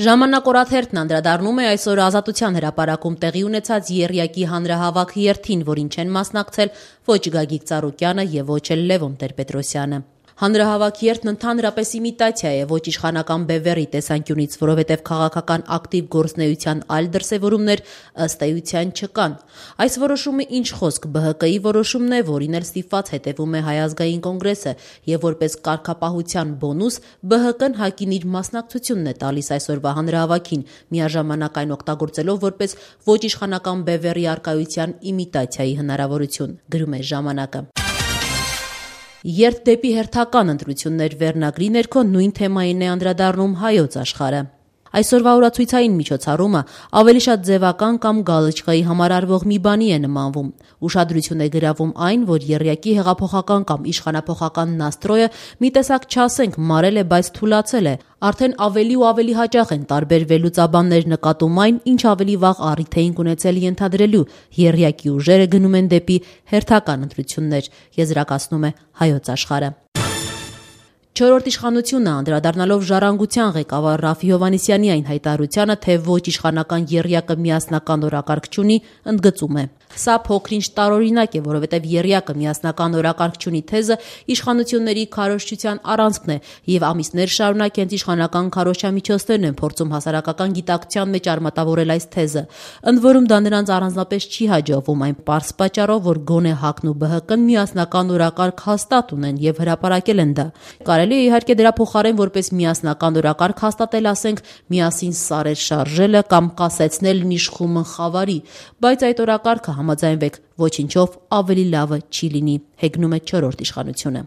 Ժամանակ օրաթերթն անդրադառնում է այսօր Ազատության հրապարակում տեղի ունեցած եռյակի հանրահավաք երթին, որին չեն մասնակցել ոչ Գագիկ Ծառուկյանը եւ ոչ էլ Լևոն Տեր-Պետրոսյանը։ Հանրահավաք երթն ընդհանրապես իմիտացիա է ոչ իշխանական բևեռի տեսանկյունից, որովհետև քաղաքական ակտիվ գործունեության այլ դրսևորումներ ըստ էության չկան։ Այս որոշումը ինչ խոսք ԲՀԿ-ի որոշումն է, որին էլ ստիպված հետևում է Հայ ազգային կոնգրեսը, եւ որպես կարգապահության բոնուս ԲՀԿ-ն ՀԱԿ-ին իր մասնակցությունն է տալիս այսօրվա հանրահավաքին, միաժամանակ այն օգտագործելով որպես ոչ իշխանական բևեռի առկայության իմիտացիայի հնարավորություն, գրում է «Ժամանակը»։ Երթ դեպի հերթական ընտրություններ վերնագրի ներքո նույն թեմային է անդրադառնում Հայոց Աշխարհը։ Այսօրվա օրացույցային միջոցառումը ավելի շատ ձևական կամ գալչկայի համար արվող մի բանի է նմանվում։ Ուշադրություն է գրավում այն, որ եռյակի հեղափոխական կամ իշխանափոխական նաստրոյը մի տեսակ չասենք մարել է, բայց թուլացել է։ Արդեն ավելի ու ավելի հաճախ են տարբեր վերլուծաբաններ նկատում այն, ինչ ավելի վաղ առիթ էին ունեցել ենթադրելու, եռյակի ուժերը գնում են դեպի հերթական ընտրություններ, եզրակացնում է Հայոց Աշխարհը։ Չորրորդ իշխանությունը անդրադառնալով ժառանգության ղեկավար Ռաֆֆի Հովհաննիսյանի այն հայտարարությանը, թե ոչ իշխանական եռյակը միասնական օրակարգ չունի, ընդգծում է. Սա փոքրինչ տարօրինակ է, որովհետև եռյակը միասնական օրակարգ չունի թեզը իշխանությունների քարոզչության առանցքն է, եւ ամիսներ շարունակ հենց իշխանական քարոզչամիջոցներն են փորձում հասարակական գիտակցության մեջ արմատավորել այս թեզը։ Ընդ որում դա նրանց առանձնապես չի հաջողվում այն պարզ պատճառով, որ գոնե ՀԱԿ-ն ու ԲՀԿ-ն միասնական օրակարգ հաստատ ունեն եւ հրապարակել են դա։ Կարելի է իհարկե դրա փոխարեն որպես միասնական օրակարգ հաստատել, ասենք, միասին սարեր շարժելը կամ կասեցնելն իշխումն խավարի, բայց այդ օրակարգը համաձայնվեք, ոչինչով ավելի լավը չի լինի, հեգնում է չորրորդ իշխանությունը։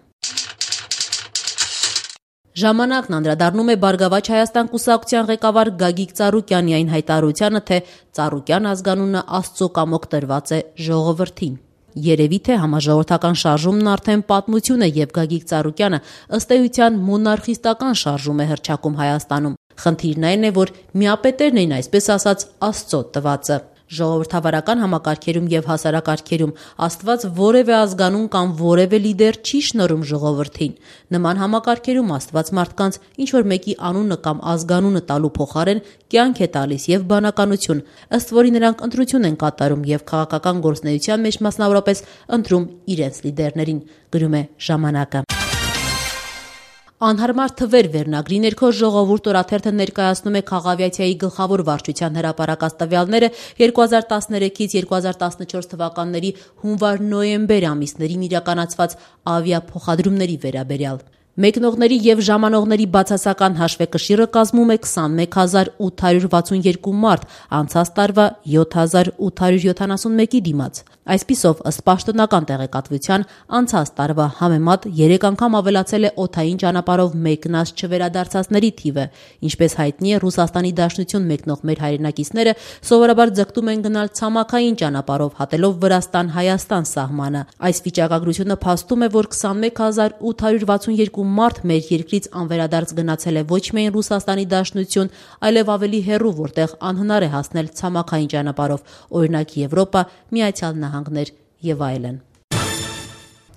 Ժամանակն անդրադառնում է Բարգավաճ Հայաստան կուսակցության ղեկավար Գագիկ Ծառուկյանի այն հայտարարությանը, թե Ծառուկյան ազգանունը Աստծո կամոք տրված է ժողովրդին։ Երևի թե համաժողովրդական շարժումն արդեն պատմություն է, եւ Գագիկ Ծառուկյանը ըստ էության մոնարխիստական շարժում է հռչակում Հայաստանում։ Խնդիրն այն է, որ միապետերն էին, այսպես ասած, Աստծո տվածը։ Ժողովրդավարական համակարգերում եւ հասարակարգերում Աստված որևէ ազգանուն կամ որևէ լիդեր չի շնորհում ժողովրդին։ Նման համակարգերում Աստված մարդկանց ինչ որ մեկի անունը կամ ազգանունը տալու փոխարեն կյանք է տալիս եւ բանականություն, ըստ որի նրանք ընտրություն են կատարում եւ քաղաքական գործունեության մեջ մասնավորապես ընտրում իրենց լիդերներին, գրում է «Ժամանակը»։ Անհարմար թվեր վերնագրի ներքո Ժողովուրդ օրաթերթը ներկայացնում է Խաղավիաթյայի գլխավոր վարչության հրապարակած տվյալները 2013-ից 2014 թվականների հունվար-նոյեմբեր ամիսներին իրականացված ավիափոխադրումների վերաբերյալ։ Մեկնողների եւ ժամանողների բացասական հաշվեկշիռը կազմում է 21862 մարդ, անցած տարվա 7871-ի դիմաց։ Այսպիսով, ըստ պաշտոնական տեղեկատվության, անցած տարվա համեմատ 3 անգամ ավելացել է օդային ճանապարհով մեկնած չվերադարձածների թիվը։ Ինչպես հայտնի է, Ռուսաստանի Դաշնություն մեկնող մեր հայրենակիցները սովորաբար ձգտում են գնալ ցամաքային ճանապարհով, հատելով Վրաստան-Հայաստան սահմանը։ Այս վիճակագրությունը փաստում է, որ 21862 մարդ մեր երկրից անվերադարձ գնացել է ոչ միայն Ռուսաստանի Դաշնություն, այլև ավելի հեռու, որտեղ անհնար է հասնել ցամաքային ճանապարհով, օրինակ Եվրոպա, Միացյալ Նահանգներ եւ այլն։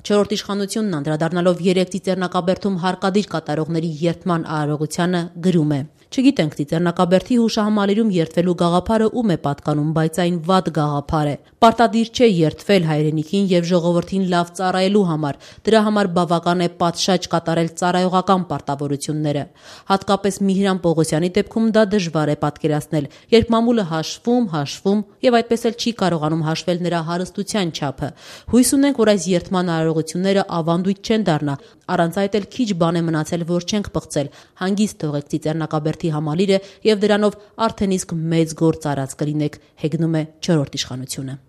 Չորրորդ իշխանությունն անդրադառնալով 3 Ծիծեռնակաբերդում հարկադիր կատարողների երթման արարողությանը գրում է. Չգիտենք Ծիծեռնակաբերդի հուշահամալիրում երթվելու գաղափարը ում է պատկանում, բայց այն վատ գաղափար է։ Պարտադիր չէ երթվել հայրենիքին եւ ժողովրդին լավ ծառայելու համար։ Դրա համար բավական է պատշաճ կատարել ծառայողական պարտավորությունները։ Հատկապես Միհրան Պողոսյանի դեպքում դա դժվար է պատկերացնել, երբ մամուլը հաշվում եւ այդպես էլ չի կարողանում հաշվել նրա հարստության չափը։ Հույս ունենք, որ այս երթման արարողությունները ավանդույթ չեն դառնա։ Առանց այդ էլ քիչ բան է մնացել, որ չենք պղծել։ Հանգիստ թողեք Ծիծեռնակաբերդի համալիրը եւ դրանով արդեն իսկ մեծ գործ արած կլինեք, հեգնում է չորրորդ իշխանությունը։